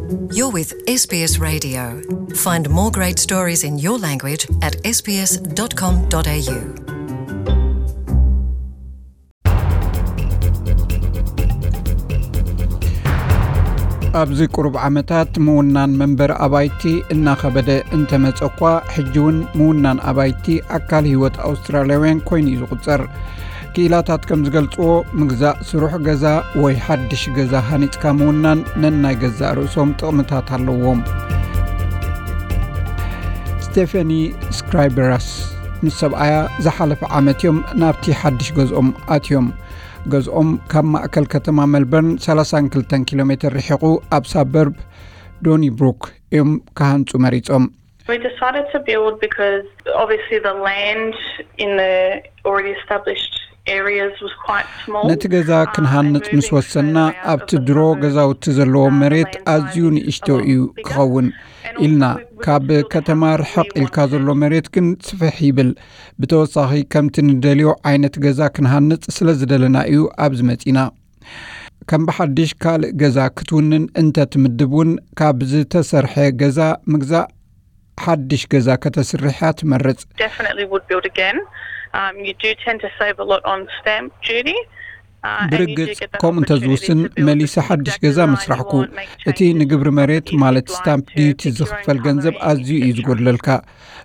You're with S B S Radio. Find more great stories in your language at S B S dot com dot A U. ኣብዚ ቁሩብ ዓመታት ምውናን መንበሪ ኣባይቲ እናኸበደ እንተመጸ እኳ፣ ሕጂ እውን ምውናን ኣባይቲ ኣካል ህይወት ኣውስትራልያውያን ኮይኑ እዩ ዝቑጸር። ክኢላታት ከም ዝገልጽዎ፣ ምግዛእ ስሩሕ ገዛ ወይ ሓድሽ ገዛ ሃኒጽካ ምውናን ነናይ ገዛእ ርእሶም ጥቕምታት ኣለዎም። ስቴፈኒ ስክራይበራስ ምስ ሰብኣያ ዝሓለፈ ዓመት እዮም ናብቲ ሓድሽ ገዝኦም ኣትዮም። ገዝኦም ካብ ማእከል ከተማ ሜልበርን ሰላሳን ክልተን ኪሎ ሜትር ርሒቑ ኣብ ሳበርብ ዶኒብሩክ እዮም ክሃንጹ መሪጾም። We decided to build because obviously the land in the already established areas was quite small. ነቲ ገዛ ክንሃንጽ ምስ ወሰንና፣ ኣብቲ ድሮ ገዛውቲ ዘለዎ መሬት ኣዝዩ ንእሽቶ እዩ ክኸውን ኢልና። ካብ ከተማ ርሕቕ ኢልካ ዘሎ መሬት ግን ስፍሕ ይብል። ብተወሳኺ፣ ከምቲ ንደልዮ ዓይነት ገዛ ክንሃንጽ ስለ ዝደለና እዩ ኣብዚ መጺና። ከም ብሓድሽ ካልእ ገዛ ክትውንን እንተ ትምድብ እውን፣ ካብ ዝተሰርሐ ገዛ ምግዛእ ሓድሽ ገዛ ከተስርሕ እያ ትመርጽ። Definitely would build again. Um, you do tend to save a lot on stamp duty. Uh, and you do ብርግጽ፣ get that ከምኡ እንተ opportunity ዝውስን፣ to build መሊሰ ሓድሽ ገዛ ምስራሕኩ። እቲ ንግብሪ መሬት ማለት ስታምፕ ዲዩቲ ዝኽፈል ገንዘብ ኣዝዩ እዩ ዝጎድለልካ።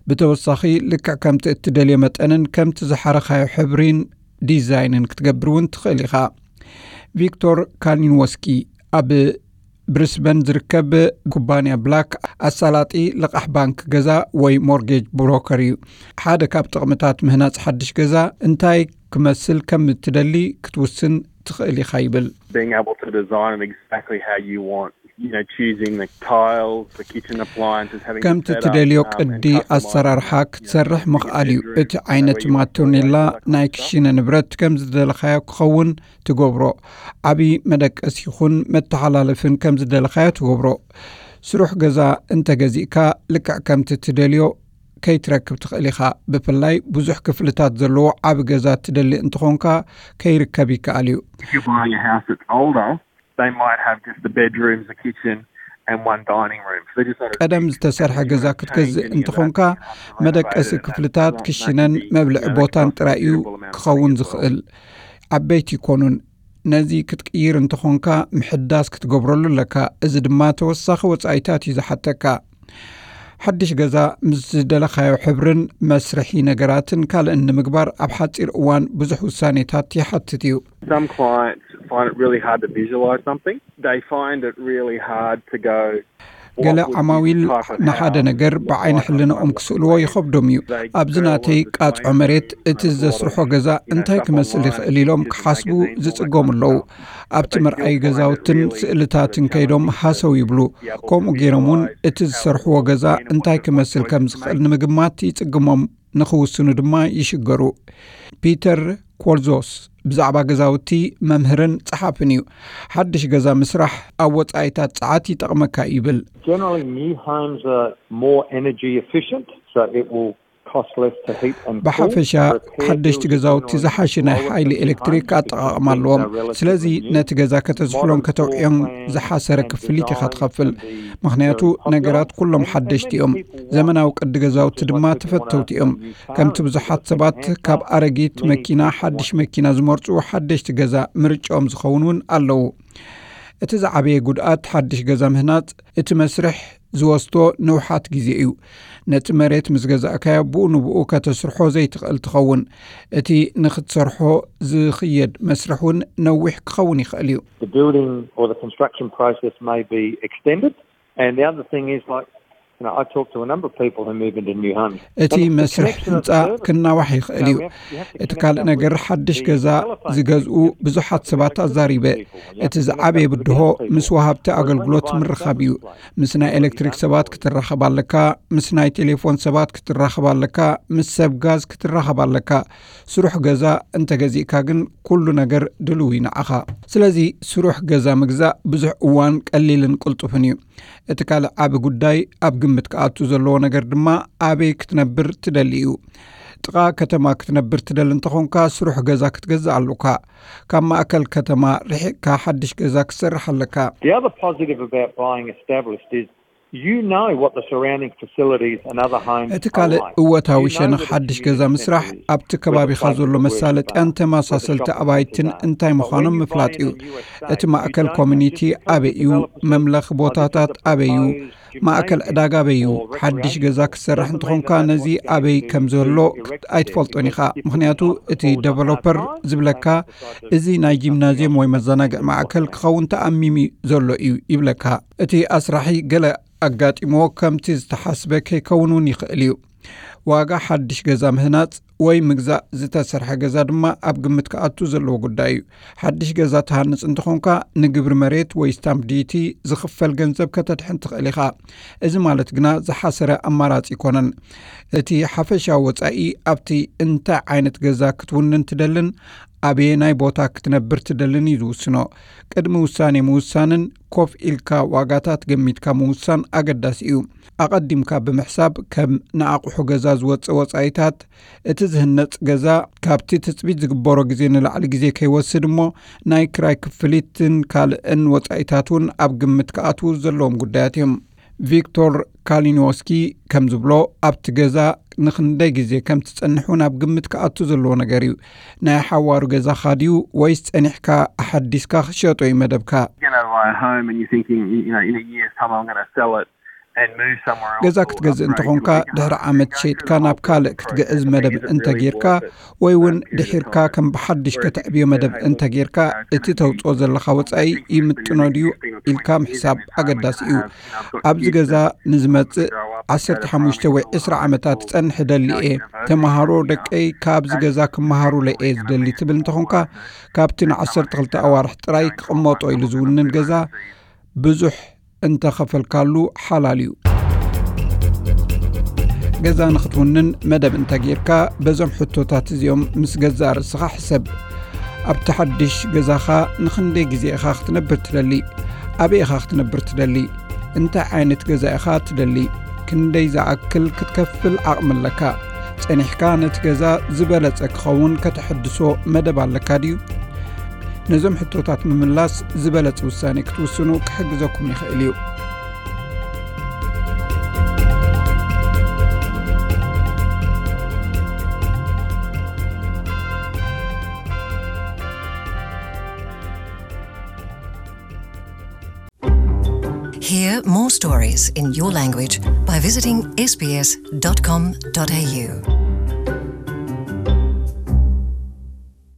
ብተወሳኺ፣ ልክዕ ከምቲ እትደልዮ መጠንን ከምቲ ዝሓረኻዮ ሕብሪን ዲዛይንን ክትገብር እውን ትኽእል ኢኻ። ቪክቶር ካሊንወስኪ ኣብ ብሪስበን ዝርከብ ኩባንያ ብላክ ኣሳላጢ ልቓሕ ባንክ ገዛ ወይ ሞርጌጅ ብሮከር እዩ። ሓደ ካብ ጥቕምታት ምህናጽ ሓድሽ ገዛ እንታይ ክመስል ከም እትደሊ ክትውስን ትኽእል ኢኻ ይብል። Being able to design it exactly how you want, you know, choosing the tiles, the kitchen appliances, having ከምቲ ትደልዮ ቅዲ ኣሰራርሓ ክትሰርሕ ምኽኣል እዩ። እቲ ዓይነት ማቶኔላ ናይ ክሽነ ንብረት ከም ዝደለኻዮ ክኸውን ትገብሮ። ዓቢ መደቀሲ ይኹን መተሓላለፍን ከም ዝደለኻዮ ትገብሮ። ስሩሕ ገዛ እንተገዚእካ፣ ልክዕ ከምቲ ትደልዮ ከይትረክብ ትኽእል ኢኻ። ብፍላይ ብዙሕ ክፍልታት ዘለዎ ዓቢ ገዛ ትደሊ እንተኾንካ፣ ከይርከብ ይከኣል እዩ። If you're buying a house that's older, they might have just the bedrooms, the kitchen, and one dining room. So they're just not as ቀደም ዝተሰርሐ ገዛ ክትገዝእ እንተኾንካ፣ መደቀሲ ክፍልታት፣ ክሽነን መብልዒ ቦታን ጥራይ እዩ ክኸውን ዝኽእል። ዓበይቲ ይኮኑን። ነዚ ክትቅይር እንተኾንካ፣ ምሕዳስ ክትገብረሉ ኣለካ። እዚ ድማ ተወሳኺ ወጻኢታት እዩ ዝሓተካ። ሓድሽ ገዛ ምስ ዝደለኻዮ ሕብርን መስርሒ ነገራትን ካልእን ንምግባር፣ ኣብ ሓጺር እዋን ብዙሕ ውሳኔታት ይሓትት እዩ። Some clients find it really hard to visualize something. They find it really hard to go, ገለ ዓማዊል ንሓደ ነገር ብዓይኒ ሕልናኦም ክስእልዎ ይኸብዶም እዩ። ኣብዚ ናተይ ቃጽዖ መሬት እቲ ዘስርሖ ገዛ እንታይ ክመስል ይኽእል ኢሎም ክሓስቡ ዝጽገሙ ኣለዉ። ኣብቲ መርኣዪ ገዛውትን ስእልታትን ከይዶም ሃሰው ይብሉ። ከምኡ ገይሮም እውን እቲ ዝሰርሕዎ ገዛ እንታይ ክመስል ከም ዝኽእል ንምግማት ይጽግሞም፣ ንኽውስኑ ድማ ይሽገሩ። ፒተር ኮልዞስ ብዛዕባ ገዛውቲ መምህርን ጸሓፍን እዩ። ሓድሽ ገዛ ምስራሕ ኣብ ወጻኢታት ጸዓት ይጠቕመካ እዩ ይብል። Generally, new homes are more energy efficient, so it will cost less to heat and cool. ብሓፈሻ፣ ሓደሽቲ ገዛውቲ ዝሓሸ ናይ ሓይሊ ኤሌክትሪክ ኣጠቓቕማ ኣለዎም። ስለዚ፣ ነቲ ገዛ ከተዝሕሎን ከተውዕዮን ዝሓሰረ ክፍሊት ኢኻ ትኸፍል። ምኽንያቱ፣ ነገራት ኩሎም ሓደሽቲ እዮም። ዘመናዊ ቅዲ ገዛውቲ ድማ ተፈተውቲ እዮም። ከምቲ ብዙሓት ሰባት ካብ ኣረጊት መኪና ሓድሽ መኪና ዝመርጹ፣ ሓደሽቲ ገዛ ምርጫኦም ዝኸውን እውን ኣለዉ። እቲ ዝዓበየ ጉድኣት ሓድሽ ገዛ ምህናጽ፣ እቲ መስርሕ ዝወስዶ ንውሓት ግዜ እዩ። ነቲ መሬት ምስ ገዛእካዮ፣ ብኡ ንብኡ ከተስርሖ ዘይትኽእል ትኸውን። እቲ ንኽትሰርሖ ዝኽየድ መስርሕ እውን ነዊሕ ክኸውን ይኽእል እዩ። The building or the construction process may be extended. And the other thing is, like, you know, I talk to a number of people who move into new homes. እቲ መስርሕ ህንጻ ክናዋሕ ይኽእል እዩ። እቲ ካልእ ነገር፣ ሓድሽ ገዛ ዝገዝኡ ብዙሓት ሰባት ኣዛሪበ። እቲ ዝዓበየ ብድሆ ምስ ወሃብቲ ኣገልግሎት ምርኻብ እዩ። ምስ ናይ ኤሌክትሪክ ሰባት ክትራኸብ ኣለካ፣ ምስ ናይ ቴሌፎን ሰባት ክትራኸብ ኣለካ፣ ምስ ሰብ ጋዝ ክትራኸብ ኣለካ። ስሩሕ ገዛ እንተገዚእካ ግን፣ ኩሉ ነገር ድልው እዩ ንዓኻ። ስለዚ፣ ስሩሕ ገዛ ምግዛእ ብዙሕ እዋን ቀሊልን ቅልጡፍን እዩ። እቲ ካልእ ዓቢ ጉዳይ ኣብ ግምት ክኣቱ ዘለዎ ነገር ድማ፣ ኣበይ ክትነብር ትደሊ እዩ። ጥቓ ከተማ ክትነብር ትደሊ እንተኾንካ፣ ስሩሕ ገዛ ክትገዝእ ኣሉካ። ካብ ማእከል ከተማ ርሒቕካ ሓድሽ ገዛ ክትሰርሕ ኣለካ። The other positive about buying established is you know what the surrounding facilities and other homes እቲ ካልእ እወታዊ ሸነኽ ሓድሽ ገዛ ምስራሕ፣ ኣብቲ ከባቢኻ ዘሎ መሳለጥያን ተመሳሰልቲ ኣባይትን እንታይ ምዃኖም ምፍላጥ እዩ። እቲ ማእከል ኮሚኒቲ ኣበይ እዩ? መምለኺ ቦታታት ኣበይ እዩ? ማእከል ዕዳጋ ኣበይ እዩ? ሓድሽ ገዛ ክትሰርሕ እንተኾንካ፣ ነዚ ኣበይ ከም ዘሎ ኣይትፈልጦን ኢኻ። ምኽንያቱ እቲ ደቨሎፐር ዝብለካ፣ እዚ ናይ ጂምናዝየም ወይ መዘናግዒ ማእከል ክኸውን ተኣሚሙ ዘሎ እዩ ይብለካ። እቲ ኣስራሒ ገለ ኣጋጢሞ ከምቲ ዝተሓስበ ከይከውን እውን ይኽእል እዩ። ዋጋ ሓድሽ ገዛ ምህናጽ ወይ ምግዛእ ዝተሰርሐ ገዛ ድማ ኣብ ግምት ክኣቱ ዘለዎ ጉዳይ እዩ። ሓድሽ ገዛ ትሃንጽ እንተኾንካ፣ ንግብሪ መሬት ወይ ስታምፕ ዲቲ ዝኽፈል ገንዘብ ከተድሕን ትኽእል ኢኻ። እዚ ማለት ግና ዝሓሰረ ኣማራጺ ኣይኮነን። እቲ ሓፈሻዊ ወጻኢ ኣብቲ እንታይ ዓይነት ገዛ ክትውንን ትደልን ኣበየናይ ቦታ ክትነብር ትደልን እዩ ዝውስኖ። ቅድሚ ውሳኔ ምውሳንን ኮፍ ኢልካ ዋጋታት ገሚትካ ምውሳን ኣገዳሲ እዩ። ኣቐዲምካ ብምሕሳብ፣ ከም ንኣቑሑ ገዛ ዝወጽእ ወጻኢታት፣ እቲ ዝህነጽ ገዛ ካብቲ ትጽቢት ዝግበሮ ግዜ ንላዕሊ ግዜ ከይወስድ እሞ ናይ ክራይ ክፍሊትን ካልእን ወጻኢታት እውን ኣብ ግምት ክኣትዉ ዘለዎም ጉዳያት እዮም። ቪክቶር ካሊኒዎስኪ ከም ዝብሎ፣ ኣብቲ ገዛ ንኽንደይ ግዜ ከም ትጸንሕ እውን ኣብ ግምት ክኣቱ ዘለዎ ነገር እዩ። ናይ ሓዋሩ ገዛኻ ድዩ ወይስ ጸኒሕካ ኣሓዲስካ ክትሸጦ እዩ መደብካ? You know, buy a home and you're thinking, you know, in a year's time I'm going to sell it and move somewhere else. ገዛ ክትገዝእ እንተኾንካ፣ ድሕሪ ዓመት ሸይጥካ ናብ ካልእ ክትግዕዝ መደብ እንተጌርካ፣ ወይ እውን ድሒርካ ከም ብሓድሽ ከተዕብዮ መደብ እንተጌርካ፣ እቲ ተውፅኦ ዘለኻ ወፃኢ ይምጥኖ ድዩ ኢልካ ምሕሳብ ኣገዳሲ እዩ። ኣብዚ ገዛ ንዝመፅእ ዓሰርተ ሓሙሽተ ወይ ዕስራ ዓመታት ክፀንሕ እደሊ እየ። ተምሃሮ ደቀይ ካብዚ ገዛ ክመሃሩለይ እየ ዝደሊ ትብል እንተኾንካ፣ ካብቲ ንዓሰርተ ክልተ ኣዋርሕ ጥራይ ክቕመጦ ኢሉ ዝውንን ገዛ ብዙሕ እንተኸፈልካሉ ሓላል እዩ። ገዛ ንኽትውንን መደብ እንተጌርካ፣ በዞም ሕቶታት እዚኦም ምስ ገዛእ ርእስኻ ሕሰብ። ኣብቲ ሓድሽ ገዛኻ ንኽንደይ ግዜ ኢኻ ክትነብር ትደሊ? ኣበይ ኢኻ ክትነብር ትደሊ? እንታይ ዓይነት ገዛ ኢኻ ትደሊ? ክንደይ ዝኣክል ክትከፍል ዓቕሚ ኣለካ? ጸኒሕካ ነቲ ገዛ ዝበለጸ ክኸውን ከተሐድሶ መደብ ኣለካ ድዩ? ነዞም ሕቶታት ምምላስ ዝበለጸ ውሳኔ ክትውስኑ ክሕግዘኩም ይኽእል እዩ። Hear more stories in your language by visiting S B S dot com dot A U.